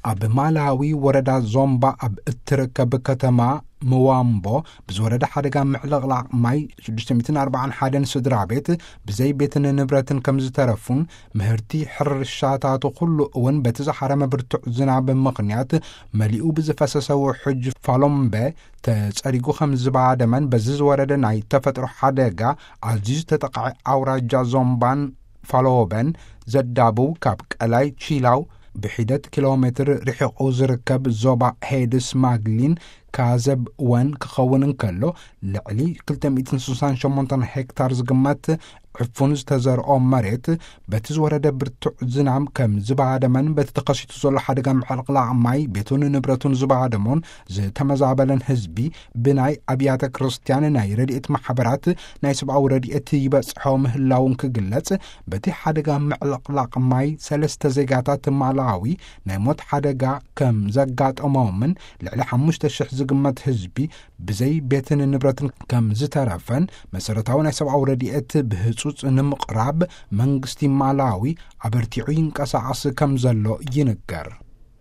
ኣብ ማላዊ ወረዳ ዞምባ ኣብ እትርከብ ከተማ ምዋምቦ ብዝወረደ ሓደጋ ምዕልቕላቕ ማይ ሽዱሽተ ሚእትን ኣርባዓን ሓደን ስድራ ቤት ብዘይ ቤትን ንብረትን ከም ዝተረፉን፣ ምህርቲ ሕርሻታቱ ኩሉ እውን በቲ ዝሓረመ ብርቱዕ ዝናብ ምኽንያት መሊኡ ብዝፈሰሰ ውሑጅ ፋሎምበ ተጸሪጉ ከም ዝባደመን፣ በዚ ዝወረደ ናይ ተፈጥሮ ሓደጋ ኣዝዩ ዝተጠቕዐ ኣውራጃ ዞምባን ፋሎበን ዘዳብው ካብ ቀላይ ቺላው ብሒደት ኪሎ ሜትር ርሒቑ ዝርከብ ዞባ ሄድስ ማግሊን ካዘብ ወን ክኸውን እንከሎ፣ ልዕሊ ክልተ ሚእትን ስሳን ሸሞንተን ሄክታር ዝግመት ዕፉን ዝተዘርኦ መሬት በቲ ዝወረደ ብርቱዕ ዝናም ከም ዝባደመን፣ በቲ ተኸሲቱ ዘሎ ሓደጋ ምዕልቕላቕ ማይ ቤቱን ንብረቱን ዝባደሞን ዝተመዛበለን ህዝቢ ብናይ ኣብያተ ክርስቲያን፣ ናይ ረድኤት ማሕበራት፣ ናይ ሰብኣዊ ረድኤት ይበጽሖ ምህላውን ክግለጽ፣ በቲ ሓደጋ ምዕልቕላቕ ማይ ሰለስተ ዜጋታት ማላዊ ናይ ሞት ሓደጋ ከም ዘጋጠሞምን፣ ልዕሊ ሓሙሽተ ሽሕ ዝግመት ህዝቢ ብዘይ ቤትን ንብረትን ከም ዝተረፈን፣ መሰረታዊ ናይ ሰብኣዊ ረድኤት ብህጹጽ ንምቕራብ መንግስቲ ማላዊ ኣበርቲዑ ይንቀሳቐስ ከም ዘሎ ይንገር።